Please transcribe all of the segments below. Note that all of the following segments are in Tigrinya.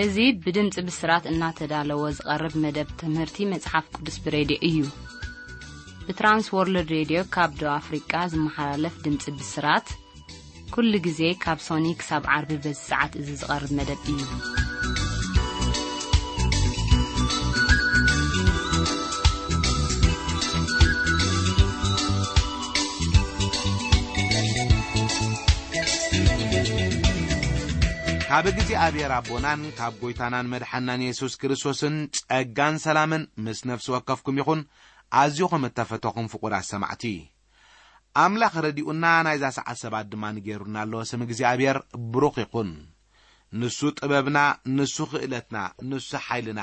እዚ ብድምጺ ብስራት እናተዳለወ ዝቐርብ መደብ ትምህርቲ መጽሓፍ ቅዱስ ብሬድዮ እዩ። ብትራንስ ወርልድ ሬድዮ ካብ ደቡብ ኣፍሪቃ ዝመሓላለፍ ድምጺ ብስራት፣ ኩሉ ግዜ ካብ ሶኒ ክሳብ ዓርቢ በዚ ሰዓት እዚ ዝቐርብ መደብ እዩ። ካብ እግዚኣብሔር ኣቦናን ካብ ጎይታናን መድሓናን የሱስ ክርስቶስን ጸጋን ሰላምን ምስ ነፍሲ ወከፍኩም ይኹን። ኣዝዩ ከም እተፈተኹም ፍቑራት ሰማዕቲ፣ ኣምላኽ ረዲኡና ናይዛ ሰዓት ሰባት ድማ ንገይሩና ኣሎ። ስም እግዚኣብሔር ብሩኽ ይኹን። ንሱ ጥበብና፣ ንሱ ክእለትና፣ ንሱ ሓይልና።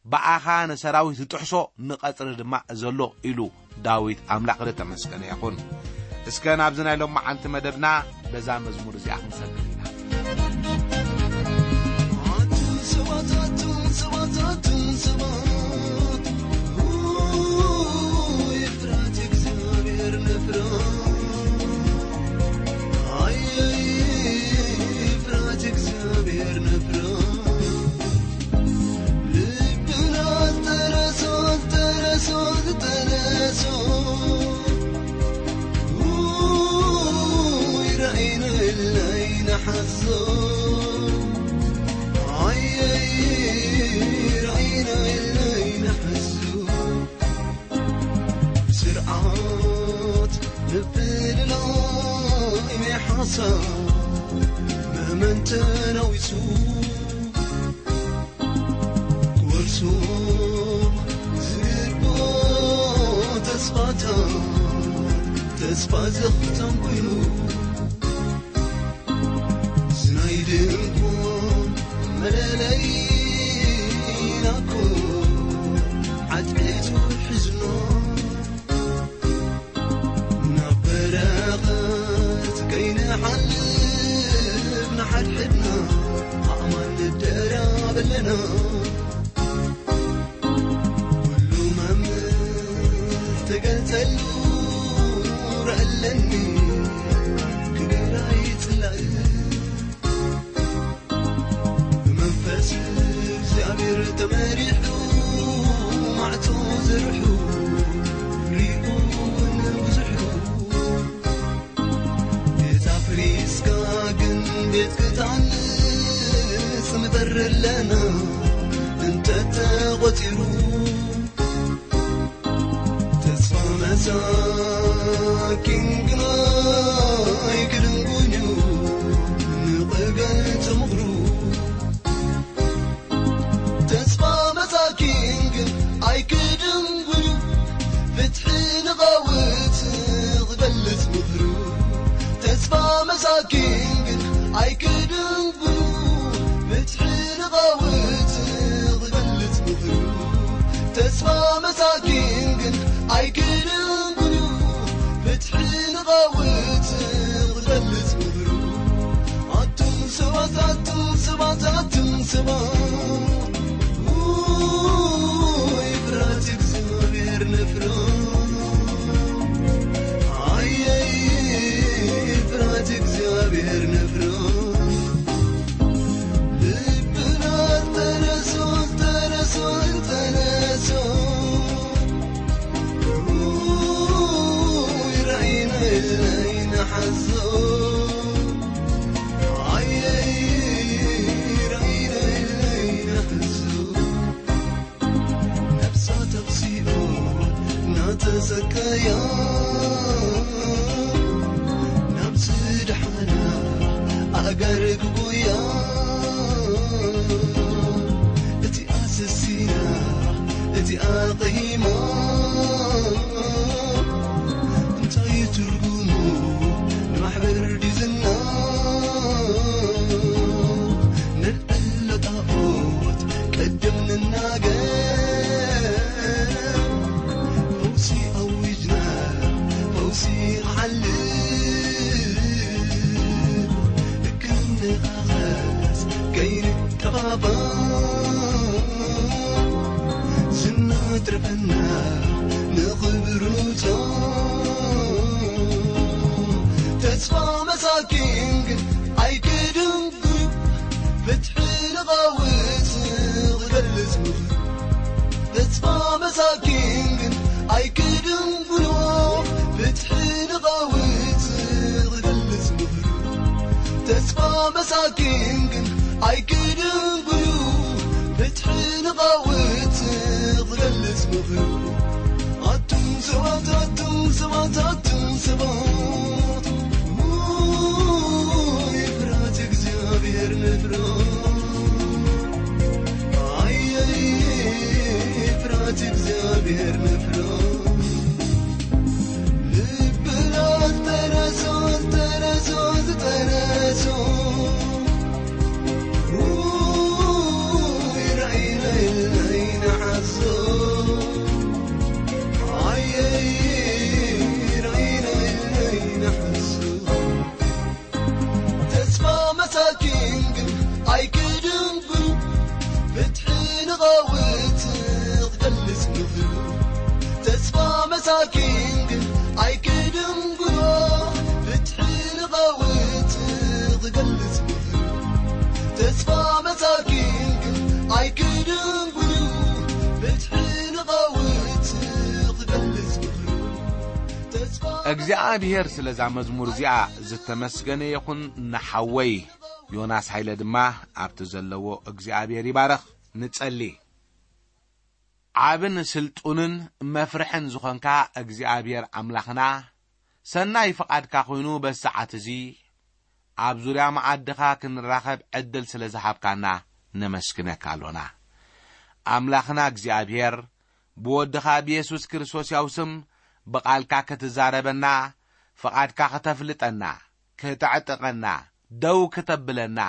ብኣኻ ንሰራዊት ዝጥሕሶ፣ ንቐጽሪ ድማ ዘሎ ኢሉ ዳዊት ኣምላኽ ዝተመስገነ ይኹን። እስከ ናብዚ ናይ ሎማዓንቲ መደብና በዛ መዝሙር እዚኣ ክንሰግር ኢና። ኣቱም ሰባት፣ ኣቱም ሰባት፣ ኣቱም ሰባት፣ ኡ፣ ይፍራት እግዚኣብሔር ንፍራ። ኣየይ፣ ይፍራት እግዚኣብሔር ንፍራ። ልብና ዝተረሶ፣ ዝተረሶ፣ ዝተረሶ። ውይ፣ ራእይና እለይ ንሓዞ። ኣየይ፣ ራእይና እለይ ንሓዞ። ስርዓት ምፍልላይ ናይ ሓሳብ መመንተናዊሱ ክወርሶ ዝግብኦ ተስፋታት ተስፋ ዘኽተም ኮይኑ፣ ዝናይ ድንኳን መለለይና እኮ ዓጥቂቱ ሒዝና፣ ናብ በረኸት ከይንሓልፍ ንሓድሕድና ኣእማን ንደራብ ኣለና። ኩሉ መምህር ተገልጸሉ ረእለኒ ክገራይ ጽላእ ብመንፈስ እግዚኣብሔር ተመሪሑ ማዕጾ ዘርሑ ሪኡ እውን ብዙሑ ቤት ኣፍሪስካ ግን ቤት ክትሃንጽ ምጠሪ ኣለና እንተተቖጺሩ። ተስፋ መሳኪን ግና ኣይክድንጉን እዩ ንቕገል ተምኽሩ። ተስፋ መሳኪን ግን ኣይክድንጉን እዩ ፍትሒ ንቐውት ክገልጽ ምኽሩ። ተስፋ መሳኪን ግን ኣይክድንጉን እዩ ፍትሒ ንቐውት ክገልጽ ምኽሩ። ተስፋ መሳኪን ግን ኣይክድንጉን እዩ ፍትሒ ንቐውት ክገልጽ ምኽሩ። ኣቱም ሰባት፣ ኣቱም ሰባት፣ ኣቱም ሰባት፣ ውይ፣ ፍርሃት እግዚኣብሔር ንፍራ። ኣየይ፣ ፍርሃት እግዚኣብሔር ንፍራ። ልብና ተነሶ፣ ተነሶ፣ ተነሶ። ውይ፣ ራእይና ኢልና ይንሓዞ። ኣየይ፣ ራእይና ኢልና ይንሓዞ። ነፍሳ ተኽሲኦ እናተሰቀያ ናብ ዝደሓና ኣእጋር ክጉያ። እቲኣ ሰሲና፣ እቲኣ ቐሂማ፣ እንታይ እዩ ትርጉሙ ንማሕበር ድዩ ዝና? ነልዕሎ ጣዖት ቅድም ንናገር፣ ፈውሲ ኣዊጅና፣ ፈውሲ ክሓልፍ ክንንቐሳቐስ ከይንጠፋፋእ፣ ዝና ትረፈና ንኽብሩ ንውጾ። ተስፋ መሳኪን ግን ኣይክድንጉ፣ ፍትሒ ንቐውት መሳኪን ግን ኣይክድንጉሎ፣ ፍትሒ ንቐውጽ ዝገልጽ ምኽሪ። ተስፋ መሳኪን ግን ኣይክድንጉሎ፣ ፍትሒ ንቐውጽ ዝገልጽ ምኽሪ። ኣቱም ሰባት፣ ኣቱም ሰባት፣ ኣቱም ሰባት፣ ውይ፣ ፍርሃት እግዚኣብሔር ንፍራ። ኣየይ፣ ፍርሃት እግዚኣብሔር ንፍራ። ልብና ዝተነሶ፣ ዝተነሶ፣ ዝተነሶ። ውይ፣ ራእይና ኢልና ኣይንሓሶ። ኣየይ፣ ራእይና ኢልና ኣይንሓሶ። ተስፋ መሳኪን ግን ኣይክድንጉ፣ ፍትሒ ንቐውት ክገልጽ ምኽሩ። ተስፋ መሳኪን ግን ኣይክድንጉ፣ ፍትሒ ንቐውት ክገልጽ ምኽሩ። ተስፋ መሳኪን ግን ኣይክድንጉ፣ ፍትሒ ንቐውት ክገልጽ ምኽሩ። ተስፋ እግዚኣብሔር ስለዛ መዝሙር እዚኣ ዝተመስገነ ይኹን። ንሓወይ ዮናስ ሃይለ ድማ ኣብቲ ዘለዎ እግዚኣብሔር ይባረኽ። ንጸሊ። ዓብን ስልጡንን መፍርሕን ዝኾንካ እግዚኣብሔር ኣምላኽና፣ ሰናይ ፍቓድካ ኮይኑ በዚ ሰዓት እዚ ኣብ ዙርያ መዓድኻ ክንራኸብ ዕድል ስለ ዝሃብካና ነመስግነካ ኣሎና። ኣምላኽና እግዚኣብሔር፣ ብወድኻ ብየሱስ ክርስቶስ ያው ስም ብቓልካ ክትዛረበና፣ ፍቓድካ ከተፍልጠና፣ ከተዕጥቐና፣ ደው ክተብለና፣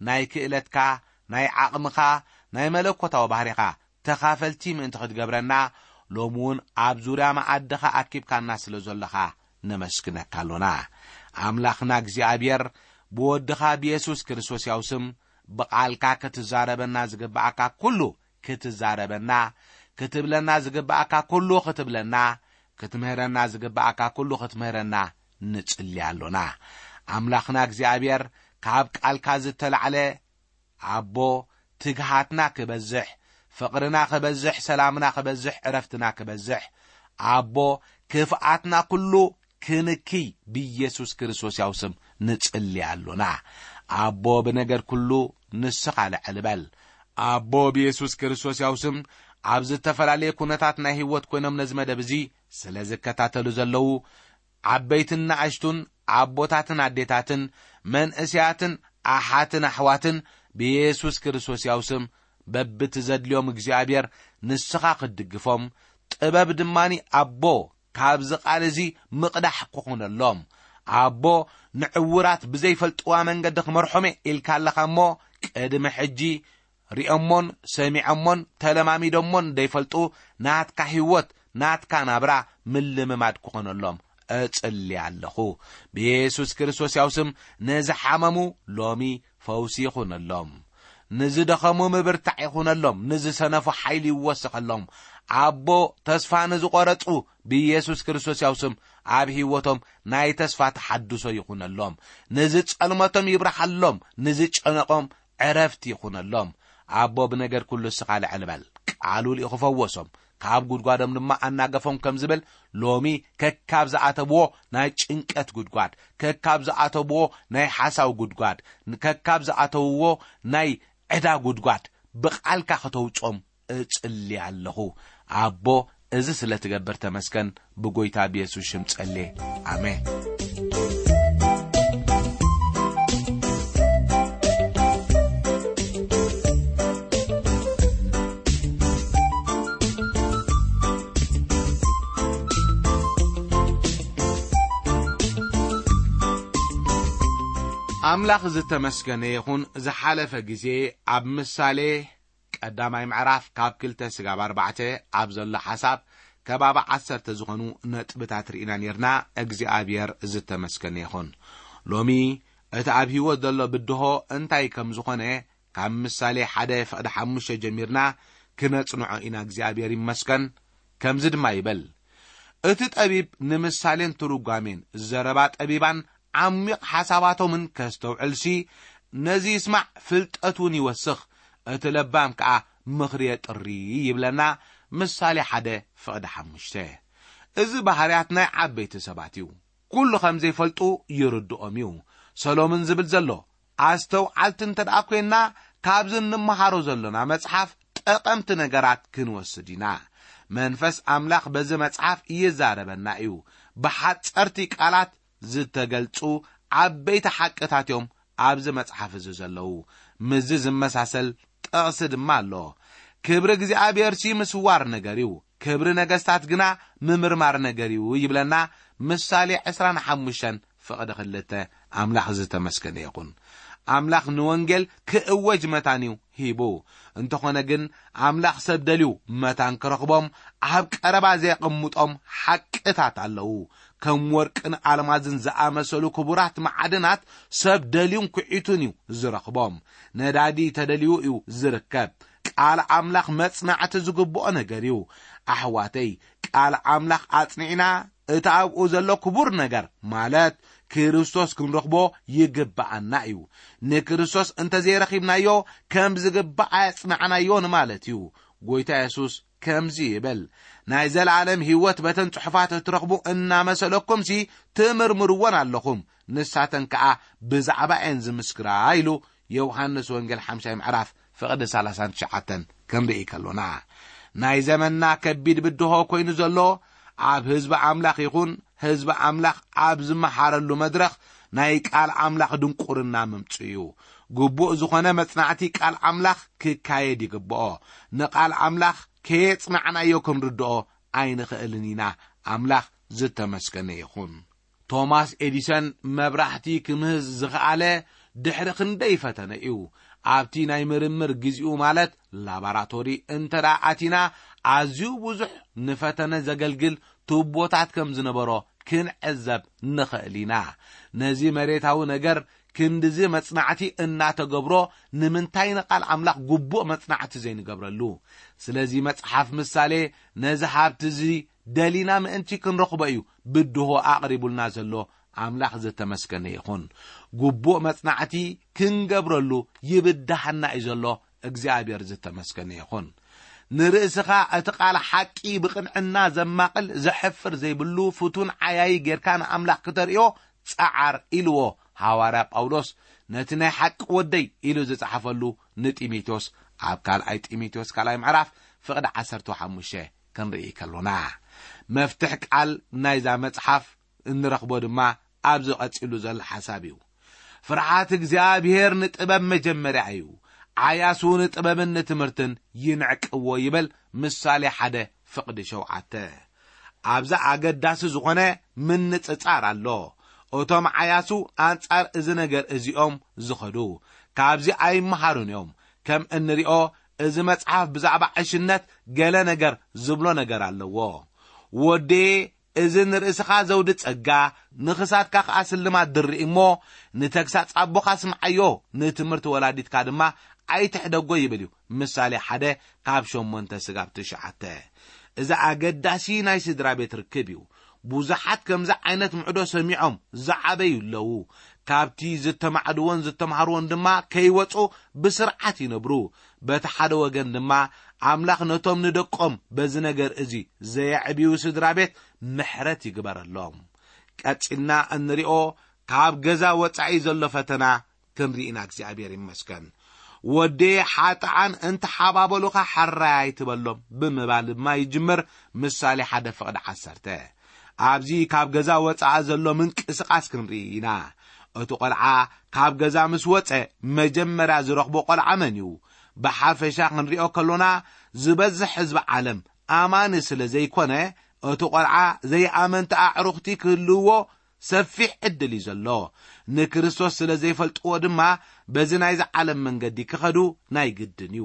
ናይ ክእለትካ፣ ናይ ዓቕምኻ፣ ናይ መለኮታዊ ባህሪኻ ተኻፈልቲ ምእንቲ ክትገብረና፣ ሎሚ እውን ኣብ ዙርያ መኣድኻ ኣኪብካና ስለ ዘለኻ ነመስግነካ ኣሎና። ኣምላኽና እግዚኣብሔር፣ ብወድኻ ብየሱስ ክርስቶስ ያው ስም ብቓልካ ክትዛረበና ዝግብኣካ ኩሉ ክትዛረበና፣ ክትብለና ዝግብኣካ ኩሉ ክትብለና፣ ክትምህረና ዝግብኣካ ኩሉ ክትምህረና ንጽሊ ኣሎና። ኣምላኽና እግዚኣብሔር፣ ካብ ቃልካ ዝተላዕለ ኣቦ፣ ትግሃትና ክበዝሕ፣ ፍቕርና ክበዝሕ፣ ሰላምና ክበዝሕ፣ ዕረፍትና ክበዝሕ፣ ኣቦ፣ ክፍኣትና ኩሉ ክንክይ ብኢየሱስ ክርስቶስ ያው ስም ንጽሊ ኣሎና። ኣቦ፣ ብነገር ኩሉ ንስኻ ልዕል በል። ኣቦ፣ ብኢየሱስ ክርስቶስ ያው ስም ኣብ ዝተፈላለየ ኩነታት ናይ ህይወት ኮይኖም ነዚ መደብ እዚ ስለ ዝከታተሉ ዘለዉ ዓበይትን ንኣሽቱን፣ ኣቦታትን ኣዴታትን፣ መንእሰያትን ኣሓትን ኣሕዋትን ብኢየሱስ ክርስቶስ ያው ስም በብቲ ዘድልዮም እግዚኣብሔር ንስኻ ክትድግፎም፣ ጥበብ ድማኒ ኣቦ ካብዚ ቃል እዚ ምቕዳሕ ክኹነሎም። ኣቦ ንዕውራት ብዘይፈልጥዋ መንገዲ ክመርሖም እየ ኢልካ ኣለኻ እሞ፣ ቅድሚ ሕጂ ሪኦሞን ሰሚዖሞን ተለማሚዶሞን ዘይፈልጡ ናትካ ህይወት፣ ናትካ ናብራ ምልምማድ ክኾነሎም እጽሊ ኣለኹ። ብየሱስ ክርስቶስ ያው ስም ንዝሓመሙ ሎሚ ፈውሲ ይኹነሎም። ንዝደኸሙ ምብርታዕ ይኹነሎም። ንዝሰነፉ ሓይሊ ይወሰኸሎም። ኣቦ፣ ተስፋ ንዝቖረጹ ብየሱስ ክርስቶስ ያው ስም ኣብ ህይወቶም ናይ ተስፋ ተሓድሶ ይኹነሎም። ንዝጸልመቶም ይብርሃሎም። ንዝጨነቖም ዕረፍቲ ይኹነሎም። ኣቦ፣ ብነገር ኩሉ እስኻ ልዕል በል። ቃሉ ልኢኹ ፈወሶም፣ ካብ ጉድጓዶም ድማ ኣናገፎም ከም ዝብል፣ ሎሚ ከካብ ዝኣተብዎ ናይ ጭንቀት ጉድጓድ፣ ከካብ ዝኣተብዎ ናይ ሓሳው ጉድጓድ፣ ከካብ ዝኣተውዎ ናይ ዕዳ ጉድጓድ ብቓልካ ከተውጾም እጽሊ ኣለኹ። ኣቦ፣ እዚ ስለ ትገብር ተመስገን። ብጎይታ ብየሱስ ሽም ጸልየ። ኣሜን። ኣምላኽ ዝተመስገነ ይኹን። ዝሓለፈ ግዜ ኣብ ምሳሌ ቀዳማይ ምዕራፍ ካብ ክልተ ስጋብ ኣርባዕተ ኣብ ዘሎ ሓሳብ ከባቢ ዓሰርተ ዝኾኑ ነጥብታት ርኢና ኔርና። እግዚኣብሔር ዝተመስገነ ይኹን። ሎሚ እቲ ኣብ ህይወት ዘሎ ብድሆ እንታይ ከም ዝኾነ ካብ ምሳሌ ሓደ ፍቕዲ ሓሙሽተ ጀሚርና ክነጽንዖ ኢና። እግዚኣብሔር ይመስገን። ከምዚ ድማ ይብል፣ እቲ ጠቢብ ንምሳሌን ትርጓሜን ዘረባ ጠቢባን ዓሚቕ ሓሳባቶምን ከስተውዕልሲ፣ ነዚ ይስማዕ፣ ፍልጠት እውን ይወስኽ፣ እቲ ለባም ከኣ ምኽሪ የጥሪ ይብለና ምሳሌ ሓደ ፍቕዲ ሓሙሽተ። እዚ ባህርያት ናይ ዓበይቲ ሰባት እዩ። ኩሉ ከም ዘይፈልጡ ይርድኦም እዩ። ሰሎምን ዝብል ዘሎ፣ ኣስተውዓልቲ እንተ ደኣ ኮይንና፣ ካብዚ እንመሃሮ ዘሎና መጽሓፍ ጠቐምቲ ነገራት ክንወስድ ኢና። መንፈስ ኣምላኽ በዚ መጽሓፍ ይዛረበና እዩ። ብሓጸርቲ ቃላት ዝተገልጹ ዓበይቲ ሓቅታት እዮም ኣብዚ መጽሓፍ እዚ ዘለዉ። ምስዚ ዝመሳሰል ጥቕሲ ድማ ኣሎ። ክብሪ እግዚኣብሔርሲ ምስዋር ነገር እዩ፣ ክብሪ ነገስታት ግና ምምርማር ነገር እዩ ይብለና ምሳሌ ዕስራን ሓሙሽተን ፍቕዲ ክልተ። ኣምላኽ ዝተመስገነ ይኹን። ኣምላኽ ንወንጌል ክእወጅ መታን እዩ ሂቡ። እንተኾነ ግን ኣምላኽ ሰብ ደልዩ መታን ክረኽቦም ኣብ ቀረባ ዘየቐምጦም ሓቅታት ኣለዉ። ከም ወርቅን ኣልማዝን ዝኣመሰሉ ክቡራት መዓድናት ሰብ ደልዩን ኩዒቱን እዩ ዝረኽቦም። ነዳዲ ተደልዩ እዩ ዝርከብ። ቃል ኣምላኽ መጽናዕቲ ዝግብኦ ነገር እዩ። ኣሕዋተይ፣ ቃል ኣምላኽ ኣጽኒዕና እቲ ኣብኡ ዘሎ ክቡር ነገር ማለት ክርስቶስ ክንረኽቦ ይግብኣና እዩ። ንክርስቶስ እንተዘይረኺብናዮ ከም ዝግባእ ኣየጽናዕናዮን ማለት እዩ። ጎይታ የሱስ ከምዚ ይብል፣ ናይ ዘለኣለም ህይወት በተን ጽሑፋት እትረኽቡ እናመሰለኩምሲ ትምርምርወን ኣለኹም፣ ንሳተን ከኣ ብዛዕባ እየን ዝምስክራ ኢሉ ዮሃንስ ወንጌል ሓምሻይ ምዕራፍ ፍቕዲ ሰላሳን ትሽዓተን ክንርኢ ከሎና፣ ናይ ዘመንና ከቢድ ብድሆ ኮይኑ ዘሎ ኣብ ህዝቢ ኣምላኽ ይኹን ህዝቢ ኣምላኽ ኣብ ዝመሃረሉ መድረኽ ናይ ቃል ኣምላኽ ድንቁርና ምምጽኡ እዩ። ግቡእ ዝኾነ መጽናዕቲ ቃል ኣምላኽ ክካየድ ይግብኦ። ንቃል ኣምላኽ ከየጽናዕናዮ ክንርድኦ ኣይንኽእልን ኢና። ኣምላኽ ዝተመስገነ ይኹን። ቶማስ ኤዲሰን መብራህቲ ክምህዝ ዝኸኣለ ድሕሪ ክንደይ ፈተነ እዩ። ኣብቲ ናይ ምርምር ግዜኡ ማለት ላባራቶሪ እንተ ደኣ ኣቲና ኣዝዩ ብዙሕ ንፈተነ ዘገልግል ቱቦታት ከም ዝነበሮ ክንዕዘብ ንኽእል ኢና። ነዚ መሬታዊ ነገር ክንድዚ መጽናዕቲ እናተገብሮ ንምንታይ ንቓል ኣምላኽ ግቡእ መጽናዕቲ ዘይንገብረሉ? ስለዚ መጽሓፍ ምሳሌ ነዚ ሃብቲ እዚ ደሊና ምእንቲ ክንረኽቦ እዩ ብድሆ ኣቕሪቡልና ዘሎ። ኣምላኽ ዝተመስገነ ይኹን። ግቡእ መጽናዕቲ ክንገብረሉ ይብድሃና እዩ ዘሎ። እግዚኣብሔር ዝተመስገነ ይኹን። ንርእስኻ እቲ ቃል ሓቂ ብቕንዕና ዘማቕል ዘሕፍር ዘይብሉ ፍቱን ዓያዪ ጌርካ ንኣምላኽ ክተርእዮ ጸዓር ኢልዎ። ሃዋርያ ጳውሎስ ነቲ ናይ ሓቂ ወደይ ኢሉ ዝጸሓፈሉ ንጢሞቴዎስ ኣብ ካልኣይ ጢሞቴዎስ ካልኣይ ምዕራፍ ፍቕዲ ዓሰርተ ሓሙሽተ ክንርኢ ከሎና፣ መፍትሕ ቃል ናይዛ መጽሓፍ እንረኽቦ ድማ ኣብዚ ቀጺሉ ዘሎ ሓሳብ እዩ። ፍርሓት እግዚኣብሔር ንጥበብ መጀመርያ እዩ። ዓያሱ ንጥበብን ንትምህርትን ይንዕቅዎ ይብል ምሳሌ ሓደ ፍቕዲ ሸውዓተ። ኣብዚ ኣገዳሲ ዝኾነ ምንጽጻር ኣሎ። እቶም ዓያሱ ኣንጻር እዚ ነገር እዚኦም ዝኸዱ፣ ካብዚ ኣይመሃሩን እዮም። ከም እንሪኦ፣ እዚ መጽሓፍ ብዛዕባ ዕሽነት ገለ ነገር ዝብሎ ነገር ኣለዎ። ወዴ፣ እዚ ንርእስኻ ዘውዲ ጸጋ፣ ንኽሳድካ ኸኣ ስልማት ድርኢ እሞ፣ ንተግሳጽ ኣቦኻ ስምዓዮ፣ ንትምህርቲ ወላዲትካ ድማ ኣይትሕደጎ ይብል እዩ። ምሳሌ ሓደ ካብ ሸሞንተ ስጋብ ትሽዓተ። እዚ ኣገዳሲ ናይ ስድራ ቤት ርክብ እዩ። ብዙሓት ከምዚ ዓይነት ምዕዶ ሰሚዖም ዝዓበዩ ኣለዉ። ካብቲ ዝተማዕድዎን ዝተምሃርዎን ድማ ከይወጹ ብስርዓት ይነብሩ። በቲ ሓደ ወገን ድማ ኣምላኽ ነቶም ንደቆም በዚ ነገር እዚ ዘየዕብዩ ስድራ ቤት ምሕረት ይግበረሎም። ቀጺልና እንሪኦ ካብ ገዛ ወጻኢ ዘሎ ፈተና ክንርኢ ኢና። እግዚኣብሔር ይመስገን። ወዲ ሓጥኣን እንተሓባበሉኻ ሕራይ ኣይትበሎም ብምባል ድማ ይጅምር። ምሳሌ ሓደ ፍቕዲ ዓሰርተ። ኣብዚ ካብ ገዛ ወጻኢ ዘሎ ምንቅስቓስ ክንርኢ ኢና። እቲ ቖልዓ ካብ ገዛ ምስ ወጸ መጀመርያ ዝረኽቦ ቖልዓ መን እዩ? ብሓፈሻ ክንሪኦ ከሎና ዝበዝሕ ህዝቢ ዓለም ኣማኒ ስለ ዘይኮነ እቲ ቖልዓ ዘይኣመንቲ ኣዕሩኽቲ ክህልውዎ ሰፊሕ ዕድል እዩ ዘሎ። ንክርስቶስ ስለ ዘይፈልጥዎ ድማ በዚ ናይዚ ዓለም መንገዲ ክኸዱ ናይ ግድን እዩ።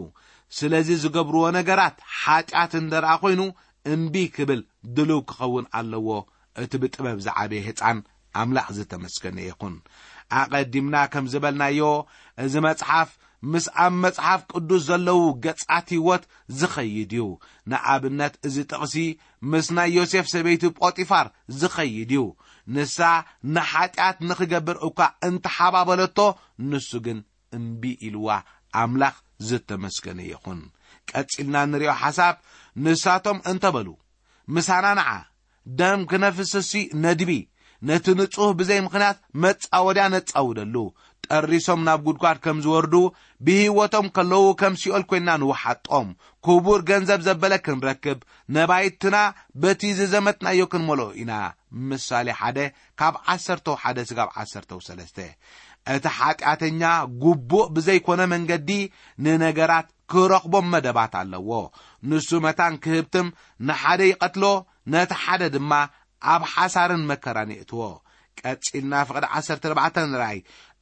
ስለዚ ዝገብርዎ ነገራት ሓጢኣት እንደ ደኣ ኮይኑ እምቢ ክብል ድሉው ክኸውን ኣለዎ። እቲ ብጥበብ ዝዓበየ ህጻን ኣምላኽ ዝተመስገነ ይኹን። ኣቐዲምና ከም ዝበልናዮ እዚ መጽሓፍ ምስ ኣብ መጽሓፍ ቅዱስ ዘለዉ ገጻት ህይወት ዝኸይድ እዩ። ንኣብነት እዚ ጥቕሲ ምስ ናይ ዮሴፍ ሰበይቲ ጶጢፋር ዝኸይድ እዩ። ንሳ ንሓጢኣት ንኽገብር እኳ እንተሓባበለቶ ንሱ ግን እምቢ ኢልዋ። ኣምላኽ ዝተመስገነ ይኹን። ቀጺልና ንሪኦ ሓሳብ ንሳቶም እንተበሉ፣ "ምሳና ንዓ፣ ደም ክነፍስሲ ነድቢ፣ ነቲ ንጹህ ብዘይ ምኽንያት መጻወድያ ነጻውደሉ፣ ጠሪሶም ናብ ጉድጓድ ከም ዝወርዱ፣ ብህይወቶም ከለዉ ከም ሲኦል ኮይና ንውሓጦም፣ ክቡር ገንዘብ ዘበለ ክንረክብ፣ ነባይትና በቲ ዝዘመትናዮ ክንመልኦ ኢና።" ምሳሌ ሓደ ካብ ዓሰርተው ሓደ ስጋብ ዓሰርተው ሰለስተ። እቲ ሓጢኣተኛ ግቡእ ብዘይኮነ መንገዲ ንነገራት ክረኽቦም መደባት ኣለዎ። ንሱ መታን ክህብትም፣ ንሓደ ይቐትሎ፣ ነቲ ሓደ ድማ ኣብ ሓሳርን መከራን የእትዎ። ቀጺልና ፍቕዲ ዓሰርተ ኣርባዕተ ንርኣይ።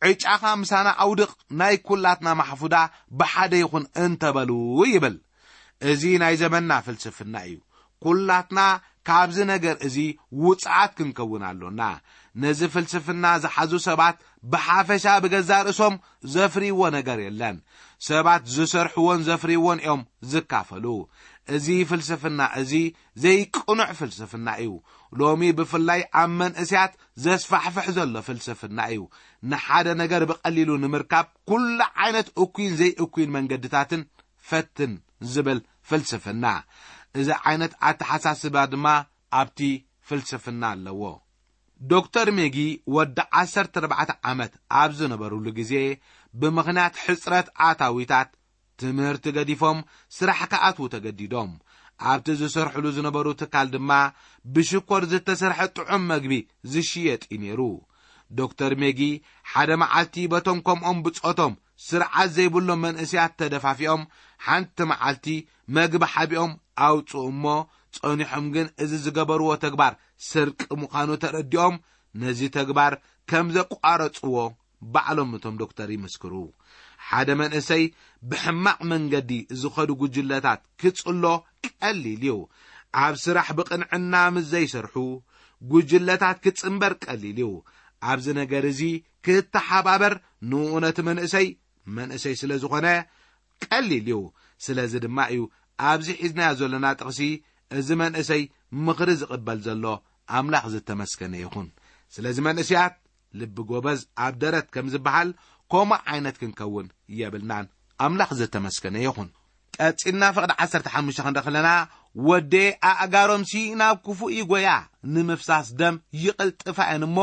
"ዕጫኻ ምሳና ኣውድቕ፣ ናይ ኩላትና ማሕፉዳ ብሓደ ይኹን እንተበሉ" ይብል። እዚ ናይ ዘመንና ፍልስፍና እዩ። ኩላትና ካብዚ ነገር እዚ ውጽዓት ክንከውን ኣሎና። ነዚ ፍልስፍና ዝሓዙ ሰባት ብሓፈሻ ብገዛእ ርእሶም ዘፍርይዎ ነገር የለን። ሰባት ዝሰርሕዎን ዘፍርይዎን እዮም ዝካፈሉ። እዚ ፍልስፍና እዚ ዘይቅኑዕ ፍልስፍና እዩ። ሎሚ ብፍላይ ኣብ መንእሰያት ዘስፋሕፍሕ ዘሎ ፍልስፍና እዩ። ንሓደ ነገር ብቐሊሉ ንምርካብ ኩሉ ዓይነት እኩይን ዘይእኩይን መንገድታትን ፈትን ዝብል ፍልስፍና። እዚ ዓይነት ኣተሓሳስባ ድማ ኣብቲ ፍልስፍና ኣለዎ። ዶክተር ሜጊ ወዲ ዓሰርተ ኣርባዕተ ዓመት ኣብ ዝነበሩሉ ግዜ፣ ብምኽንያት ሕጽረት ኣታዊታት ትምህርቲ ገዲፎም ስራሕ ክኣትዉ ተገዲዶም። ኣብቲ ዝሰርሕሉ ዝነበሩ ትካል ድማ ብሽኮር ዝተሰርሐ ጥዑም መግቢ ዝሽየጥ እዩ ነይሩ። ዶክተር ሜጊ ሓደ መዓልቲ በቶም ከምኦም ብጾቶም ስርዓት ዘይብሎም መንእሰያት ተደፋፊኦም፣ ሓንቲ መዓልቲ መግቢ ሓቢኦም ኣውጽኡ እሞ፣ ጸኒሖም ግን እዚ ዝገበርዎ ተግባር ስርቂ ምዃኑ ተረዲኦም፣ ነዚ ተግባር ከም ዘቋረጽዎ ባዕሎም እቶም ዶክተር ይምስክሩ። ሓደ መንእሰይ ብሕማቕ መንገዲ ዝኸዱ ጉጅለታት ክጽሎ ቀሊል እዩ። ኣብ ስራሕ ብቕንዕና ምስ ዘይሰርሑ ጉጅለታት ክጽንበር ቀሊል እዩ። ኣብዚ ነገር እዚ ክተሓባበር ንኡ ነቲ መንእሰይ፣ መንእሰይ ስለ ዝኾነ ቀሊል እዩ። ስለዚ ድማ እዩ ኣብዚ ሒዝናዮ ዘለና ጥቕሲ፣ እዚ መንእሰይ ምኽሪ ዝቕበል ዘሎ ኣምላኽ ዝተመስገነ ይኹን። ስለዚ መንእሰያት፣ ልቢ ጎበዝ ኣብ ደረት ከም ዝበሃል፣ ከምኡ ዓይነት ክንከውን የብልናን። ኣምላኽ ዝተመስገነ ይኹን። ቀጺልና ፍቕዲ ዓሰርተ ሓሙሽተ ክንርኢ ከለና፣ "ወዴ ኣእጋሮምሲ ናብ ክፉእ ይጎያ፣ ንምፍሳስ ደም ይቕልጥፋ እየን እሞ፣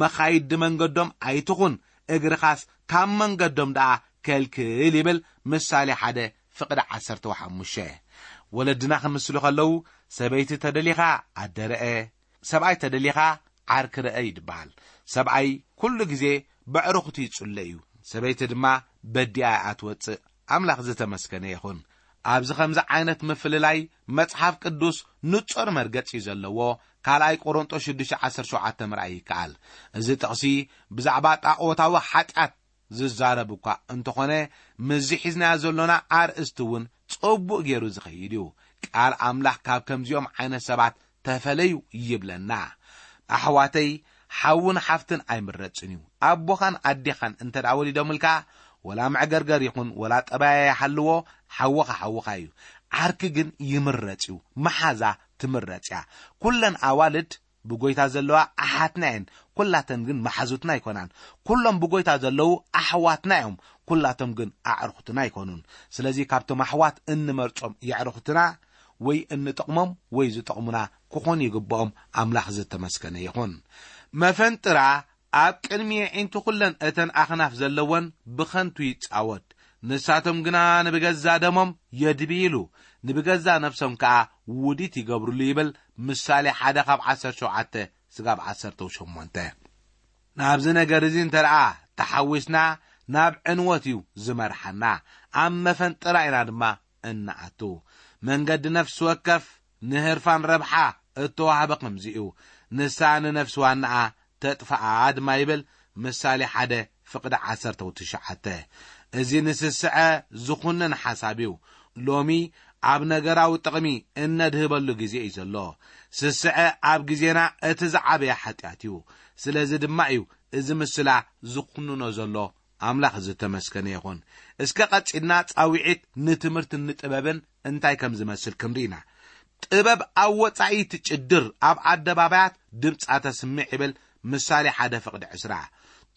መኻይድ መንገዶም ኣይትኹን፣ እግርኻስ ካብ መንገዶም ደኣ ከልክል" ይብል ምሳሌ ሓደ ፍቕዲ ዓሰርተ ሓሙሽተ። ወለድና ክምስሉ ከለዉ፣ "ሰበይቲ ተደሊኻ ኣደረአ፣ ሰብኣይ ተደሊኻ ዓርኪ ረአ" ይድበሃል። ሰብኣይ ኩሉ ግዜ በዕሩኽቱ ይጽለ እዩ፣ ሰበይቲ ድማ በዲኣ እያ ትወጽእ። ኣምላኽ ዝተመስገነ ይኹን። ኣብዚ ከምዚ ዓይነት ምፍልላይ መጽሓፍ ቅዱስ ንጹር መርገጺ እዩ ዘለዎ። ካልኣይ ቆሮንጦስ ሽዱሽተ ዓሰርተ ሸውዓተ ምርኣይ ይከኣል። እዚ ጥቕሲ ብዛዕባ ጣኦታዊ ሓጢኣት ዝዛረብ እኳ እንተኾነ፣ ምስዚ ሒዝናዮ ዘሎና ኣርእስቲ እውን ጽቡቕ ገይሩ ዝኸይድ እዩ። ቃል ኣምላኽ ካብ ከምዚኦም ዓይነት ሰባት ተፈለዩ ይብለና። ኣሕዋተይ፣ ሓውን ሓፍትን ኣይምረጽን እዩ። ኣቦኻን ኣዴኻን እንተ ደኣ ወሊዶምልካ፣ ወላ መዕገርገር ይኹን ወላ ጠባያ ይሃልዎ፣ ሓውኻ ሓውኻ እዩ። ዓርኪ ግን ይምረጽ እዩ። መሓዛ ትምረጽ እያ። ኩለን ኣዋልድ ብጎይታ ዘለዋ ኣሓትና እየን፣ ኩላተን ግን መሓዙትና ኣይኮናን። ኩሎም ብጎይታ ዘለዉ ኣሕዋትና እዮም፣ ኩላቶም ግን ኣዕሩኽትና ኣይኮኑን። ስለዚ ካብቶም ኣሕዋት እንመርጾም የዕሩኽትና ወይ እንጠቕሞም ወይ ዝጠቕሙና ክኾኑ ይግብኦም። ኣምላኽ ዝተመስገነ ይኹን። መፈንጥራ ኣብ ቅድሚ የዒንቱ ኩለን እተን ኣኽናፍ ዘለወን ብኸንቱ ይጻወት። ንሳቶም ግና ንብገዛ ደሞም የድብይሉ፣ ንብገዛ ነፍሶም ከኣ ውዲት ይገብርሉ ይብል ምሳሌ ሓደ ካብ ዓሰርተ ሸውዓተ ስጋብ ዓሰርተ ሸሞንተ። ናብዚ ነገር እዚ እንተ ደኣ ተሓዊስና ናብ ዕንወት እዩ ዝመርሓና። ኣብ መፈንጥራ ኢና ድማ እንኣቱ። መንገዲ ነፍሲ ወከፍ ንህርፋን ረብሓ እተዋህበ ከምዚ እዩ። ንሳ ንነፍሲ ዋናኣ ተጥፍኣ ድማ ይብል ምሳሌ ሓደ ፍቕዲ ዓሰርተ ትሽዓተ። እዚ ንስስዐ ዝኹንን ሓሳብ እዩ። ሎሚ ኣብ ነገራዊ ጥቕሚ እነድህበሉ ግዜ እዩ ዘሎ። ስስዐ ኣብ ግዜና እቲ ዝዓበየ ሓጢኣት እዩ። ስለዚ ድማ እዩ እዚ ምስላ ዝኹንኖ ዘሎ። ኣምላኽ ዝተመስገነ ይኹን። እስከ ቀጺልና ጻውዒት ንትምህርትን ንጥበብን እንታይ ከም ዝመስል ክንርኢ ኢና። ጥበብ ኣብ ወጻኢ ትጭድር፣ ኣብ ኣደባባያት ድምጻ ተስምዕ ይብል ምሳሌ ሓደ ፍቕዲ ዕስራ።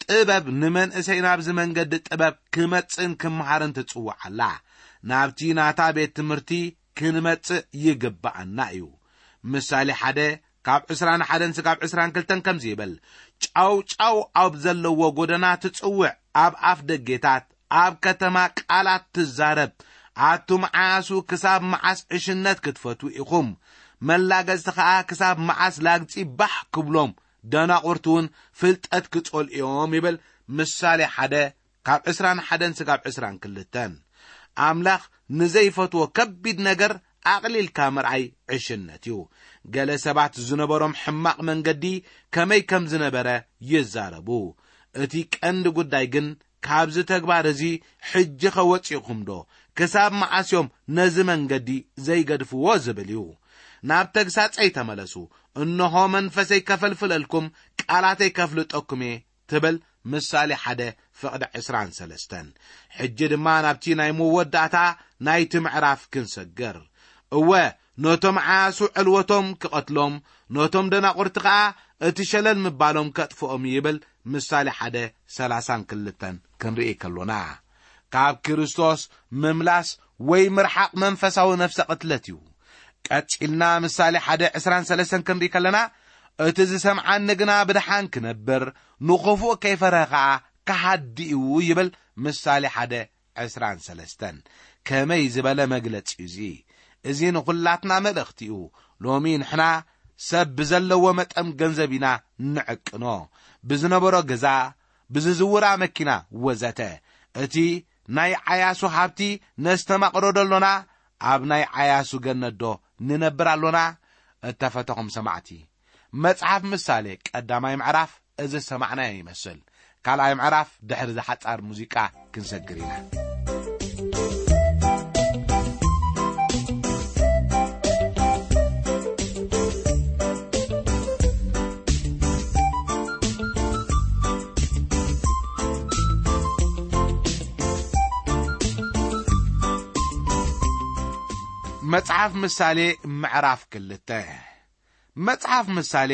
ጥበብ ንመንእሰይ ናብዚ መንገዲ ጥበብ ክመጽእን ክመሃርን ትጽውዕ ኣላ። ናብቲ ናታ ቤት ትምህርቲ ክንመጽእ ይግብኣና እዩ። ምሳሌ ሓደ ካብ ዕስራን ሓደን ስጋብ ዕስራን ክልተን ከምዚ ይብል፣ ጫው ጫው ኣብ ዘለዎ ጎደና ትጽውዕ፣ ኣብ ኣፍ ደጌታት ኣብ ከተማ ቃላት ትዛረብ። ኣቱም ዓያሱ ክሳብ መዓስ ዕሽነት ክትፈትዉ ኢኹም? መላገጽቲ ኸኣ ክሳብ መዓስ ላግጺ ባሕ ክብሎም? ደናቑርቲ እውን ፍልጠት ክጸልኡ እዮም ይብል ምሳሌ ሓደ ካብ ዕስራን ሓደን ስጋብ ዕስራን ክልተን። ኣምላኽ ንዘይፈትዎ ከቢድ ነገር ኣቕሊልካ ምርኣይ ዕሽነት እዩ። ገለ ሰባት ዝነበሮም ሕማቕ መንገዲ ከመይ ከም ዝነበረ ይዛረቡ። እቲ ቀንዲ ጉዳይ ግን ካብዚ ተግባር እዚ ሕጂ ኸወፂእኹም ዶ? ክሳብ መዓስ እዮም ነዚ መንገዲ ዘይገድፍዎ ዝብል እዩ። ናብ ተግሳጸይ ተመለሱ፣ እንሆ መንፈሰይ ከፈልፍለልኩም፣ ቃላተይ ከፍልጠኩም እየ ትብል ምሳሌ ሓደ ፍቕዲ ዕስራን ሰለስተን። ሕጂ ድማ ናብቲ ናይ መወዳእታ ናይቲ ምዕራፍ ክንሰግር። እወ፣ ነቶም ዓያሱ ዕልወቶም ክቐትሎም፣ ነቶም ደናቑርቲ ኸኣ እቲ ሸለል ምባሎም ከጥፍኦም ይብል ምሳሌ ሓደ ሰላሳን ክልተን ክንርኢ ከሎና። ካብ ክርስቶስ ምምላስ ወይ ምርሓቕ መንፈሳዊ ነፍሰ ቅትለት እዩ። ቀጺልና ምሳሌ ሓደ ዕስራን ሰለስተን ክንርኢ ከለና፣ እቲ ዝሰምዓኒ ግና ብድሓን ክነብር፣ ንኽፉእ ከይፈርሀ ኸኣ ክሃዲ እዩ ይብል ምሳሌ ሓደ ዕስራን ሰለስተን። ከመይ ዝበለ መግለጺ እዩ እዚ! እዚ ንኹላትና መልእኽቲ እዩ። ሎሚ ንሕና ሰብ ብዘለዎ መጠን ገንዘብ ኢና ንዕቅኖ። ብዝነበሮ ገዛ፣ ብዝዝውራ መኪና ወዘተ። እቲ ናይ ዓያሱ ሃብቲ ነስተማቕሮ ዶ ኣሎና? ኣብ ናይ ዓያሱ ገነት ዶ ንነብር ኣሎና? እተፈተኹም ሰማዕቲ፣ መጽሓፍ ምሳሌ ቀዳማይ ምዕራፍ እዚ ዝሰማዕናዮ ይመስል። ካልኣይ ምዕራፍ ድሕሪ ዝሓጻር ሙዚቃ ክንሰግር ኢና። መጽሓፍ ምሳሌ ምዕራፍ ክልተ። መጽሓፍ ምሳሌ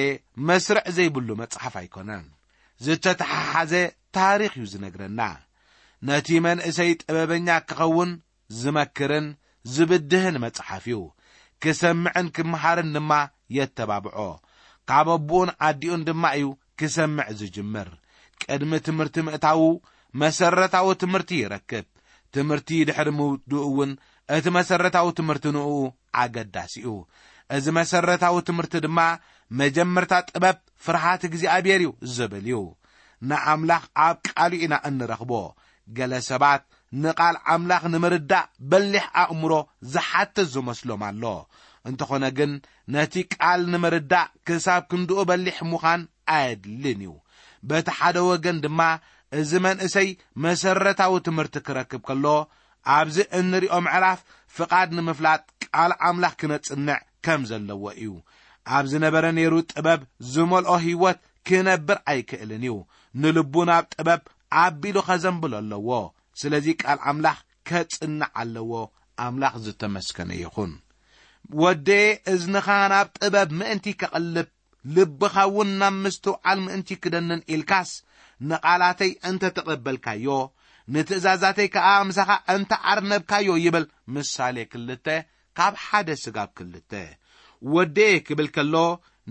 መስርዕ ዘይብሉ መጽሓፍ ኣይኮነን። ዝተተሓሓዘ ታሪኽ እዩ ዝነግረና። ነቲ መንእሰይ ጥበበኛ ክኸውን ዝመክርን ዝብድህን መጽሓፍ እዩ። ክሰምዕን ክምሃርን ድማ የተባብዖ። ካብ ኣቦኡን ኣዲኡን ድማ እዩ ክሰምዕ ዝጅምር። ቅድሚ ትምህርቲ ምእታዉ መሰረታዊ ትምህርቲ ይረክብ። ትምህርቲ ድሕሪ ምውድኡ እውን እቲ መሰረታዊ ትምህርቲ ንኡ ኣገዳሲ እዩ። እዚ መሰረታዊ ትምህርቲ ድማ መጀመርታ ጥበብ ፍርሃት እግዚኣብሔር እዩ ዝብል እዩ። ንኣምላኽ ኣብ ቃሉ ኢና እንረኽቦ። ገለ ሰባት ንቓል ኣምላኽ ንምርዳእ በሊሕ ኣእምሮ ዝሓትት ዝመስሎም ኣሎ። እንተኾነ ግን ነቲ ቃል ንምርዳእ ክሳብ ክንድኡ በሊሕ ምዃን ኣየድልን እዩ። በቲ ሓደ ወገን ድማ እዚ መንእሰይ መሰረታዊ ትምህርቲ ክረክብ ከሎ፣ ኣብዚ እንሪኦ ምዕራፍ ፍቓድ ንምፍላጥ ቃል ኣምላኽ ክነጽንዕ ከም ዘለዎ እዩ። ኣብ ዝነበረ ነይሩ ጥበብ ዝመልኦ ህይወት ክነብር ኣይክእልን እዩ። ንልቡ ናብ ጥበብ ኣቢሉ ኸዘንብሎ ኣለዎ። ስለዚ ቃል ኣምላኽ ከጽንዕ ኣለዎ። ኣምላኽ ዝተመስገነ ይኹን። ወደየ፣ እዝንኻ ናብ ጥበብ ምእንቲ ከቕልብ፣ ልብኻ እውን ናብ ምስትውዓል ምእንቲ ክደንን ኢልካስ፣ ንቓላተይ እንተ ተቐበልካዮ፣ ንትእዛዛተይ ከኣ ምሳኻ እንተ ኣርነብካዮ ይብል ምሳሌ ክልተ ካብ ሓደ ስጋብ ክልተ። ወደየ ክብል ከሎ፣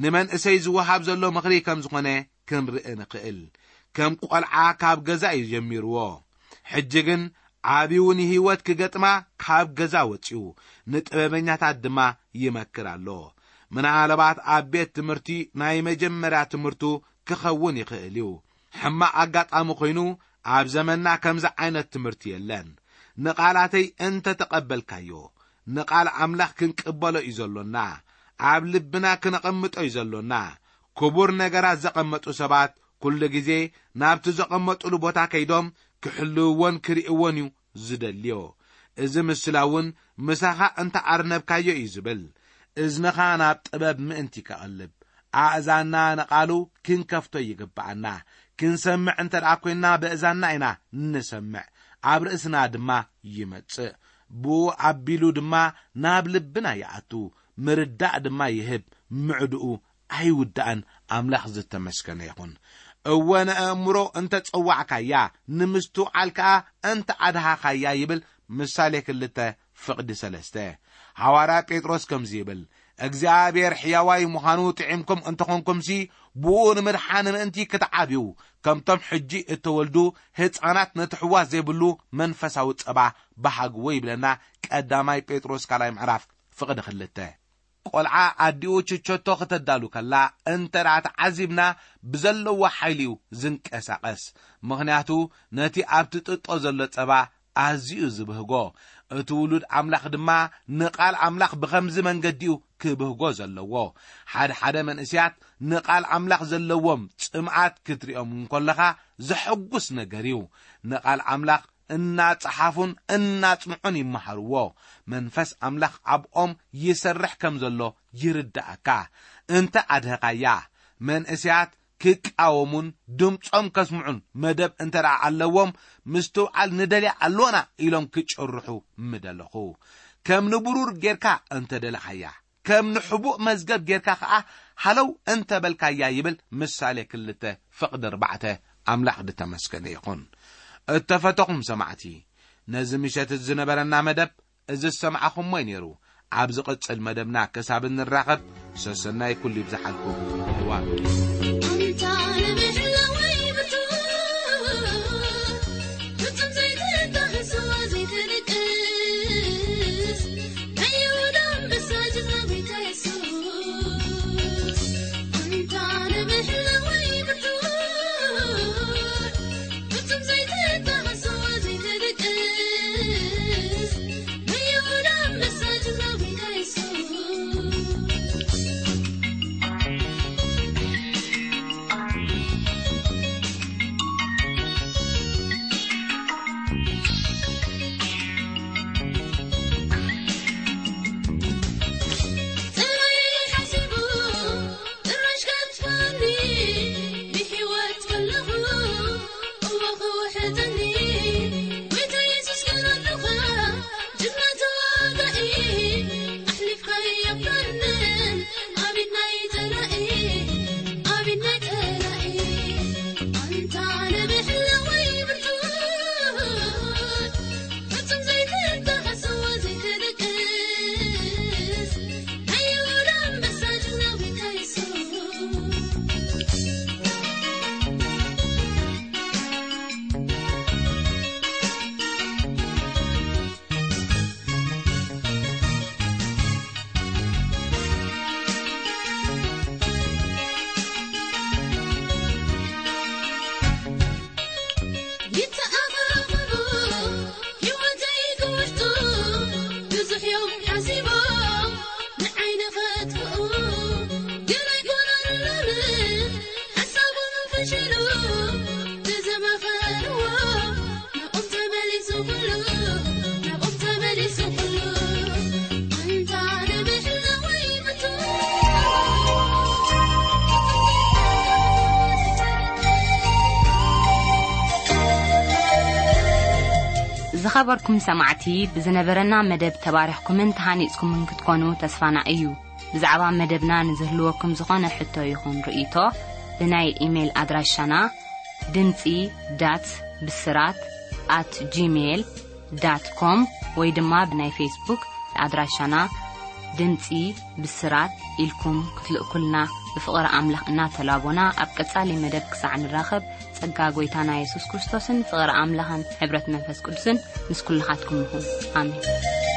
ንመንእሰይ ዝወሃብ ዘሎ ምኽሪ ከም ዝኾነ ክንርኢ ንኽእል። ከም ቈልዓ ካብ ገዛ እዩ ጀሚርዎ። ሕጂ ግን ዓብዩ ንህይወት ክገጥማ ካብ ገዛ ወጺኡ፣ ንጥበበኛታት ድማ ይመክር ኣሎ። ምናልባት ኣብ ቤት ትምህርቲ ናይ መጀመርያ ትምህርቱ ክኸውን ይኽእል እዩ። ሕማቕ ኣጋጣሚ ኮይኑ፣ ኣብ ዘመንና ከምዚ ዓይነት ትምህርቲ የለን። ንቓላተይ እንተ ተቐበልካዮ፣ ንቓል ኣምላኽ ክንቅበሎ እዩ ዘሎና። ኣብ ልብና ክነቐምጦ እዩ ዘሎና። ክቡር ነገራት ዘቐመጡ ሰባት ኩሉ ግዜ ናብቲ ዘቐመጡሉ ቦታ ከይዶም ክሕልውዎን ክርእይዎን እዩ ዝደልዮ። እዚ ምስላ እውን ምሳኻ እንተ ኣርነብካዮ እዩ ዝብል። እዝንኻ ናብ ጥበብ ምእንቲ ከቐልብ፣ ኣእዛንና ንቓሉ ክንከፍቶ ይግብኣና። ክንሰምዕ እንተ ደኣ ኰይንና፣ በእዛንና ኢና ንሰምዕ፣ ኣብ ርእስና ድማ ይመጽእ። ብኡ ኣቢሉ ድማ ናብ ልብና ይኣቱ፣ ምርዳእ ድማ ይህብ፣ ምዕድኡ ኣይውዳእን። ኣምላኽ ዝተመስገነ ይኹን። እወ፣ ንኣእምሮ እንተ ጸዋዕካያ፣ ንምስትውዓል ከኣ እንተ ኣድሃኻያ ይብል ምሳሌ ክልተ ፍቕዲ ሰለስተ። ሃዋርያ ጴጥሮስ ከምዚ ይብል፣ እግዚኣብሔር ሕያዋይ ምዃኑ ጥዒምኩም እንተኾንኩምሲ፣ ብኡ ንምድሓን ምእንቲ ክትዓብዩ፣ ከምቶም ሕጂ እተወልዱ ህፃናት ነቲ ሕዋ ዘይብሉ መንፈሳዊ ጸባ ብሃግዎ ይብለና። ቀዳማይ ጴጥሮስ ካልኣይ ምዕራፍ ፍቕዲ ክልተ። ቆልዓ ኣዲኡ ችቸቶ ክተዳሉ ከላ እንተ ደኣ ተዓዚብና፣ ብዘለዎ ሓይሊ እዩ ዝንቀሳቐስ። ምኽንያቱ ነቲ ኣብቲ ጥጦ ዘሎ ጸባ ኣዝዩ እዩ ዝብህጎ። እቲ ውሉድ ኣምላኽ ድማ ንቓል ኣምላኽ ብኸምዚ መንገዲ እዩ ክብህጎ ዘለዎ። ሓደ ሓደ መንእስያት ንቓል ኣምላኽ ዘለዎም ጽምኣት ክትሪኦም እንከለኻ ዘሐጉስ ነገር እዩ። ንቓል ኣምላኽ እናጸሓፉን እናጽንዑን ይመሃርዎ። መንፈስ ኣምላኽ ኣብኦም ይሰርሕ ከም ዘሎ ይርዳእካ። እንተ ኣድህኻያ፣ መንእስያት ክቃወሙን ድምጾም ከስምዑን መደብ እንተ ደኣ ኣለዎም፣ ምስትውዓል ንደልያ ኣሎና ኢሎም ክጭርሑ ምደለኹ። ከም ንብሩር ጌርካ እንተ ደለኻያ፣ ከም ንሕቡእ መዝገብ ጌርካ ኸኣ ሃለው እንተ በልካያ ይብል ምሳሌ ክልተ ፍቕዲ ኣርባዕተ። ኣምላኽ ዝተመስገነ ይኹን። እተፈተኹም ሰማዕቲ፣ ነዚ ምሸት ዝነበረና መደብ እዚ ዝሰማዕኹሞ እዩ ነይሩ። ኣብ ዝቕጽል መደብና ክሳብ እንራኸብ፣ ሰሰናይ ኩሉ ይብዝሓልኩም። እዋን ኣንታ ንብሕላወይ ብርቱዕ፣ ፍጹም ዘይትዳህሶ ዘይትንቅስ፣ ናይ ይሁዳ ኣንበሳ ጅግና ጎይታ የሱስ። ኣንታ ንብሕላወይ ብርቱዕ፣ ፍጹም ዘይትዳህሶ ዘይትንቅስ፣ ናይ ይሁዳ ኣንበሳ ጅግና ጎይታ የሱስ። ዝኸበርኩም ሰማዕቲ፣ ብዝነበረና መደብ ተባሪኽኩምን ተሃኒጽኩምን ክትኮኑ ተስፋና እዩ። ብዛዕባ መደብና ንዝህልወኩም ዝኾነ ሕቶ ይኹን ርእይቶ፣ ብናይ ኢሜይል ኣድራሻና ድምጺ ዳት ብስራት ኣት ጂሜይል ዳት ኮም ወይ ድማ ብናይ ፌስቡክ ኣድራሻና ድምጺ ብስራት ኢልኩም ክትልእኩልና ብፍቕሪ ኣምላኽ እናተላቦና፣ ኣብ ቀጻሊ መደብ ክሳዕ ንራኸብ፣ ጸጋ ጎይታና የሱስ ክርስቶስን ፍቕሪ ኣምላኽን ሕብረት መንፈስ ቅዱስን ምስ ኩልኻትኩም ይኹን። ኣሜን።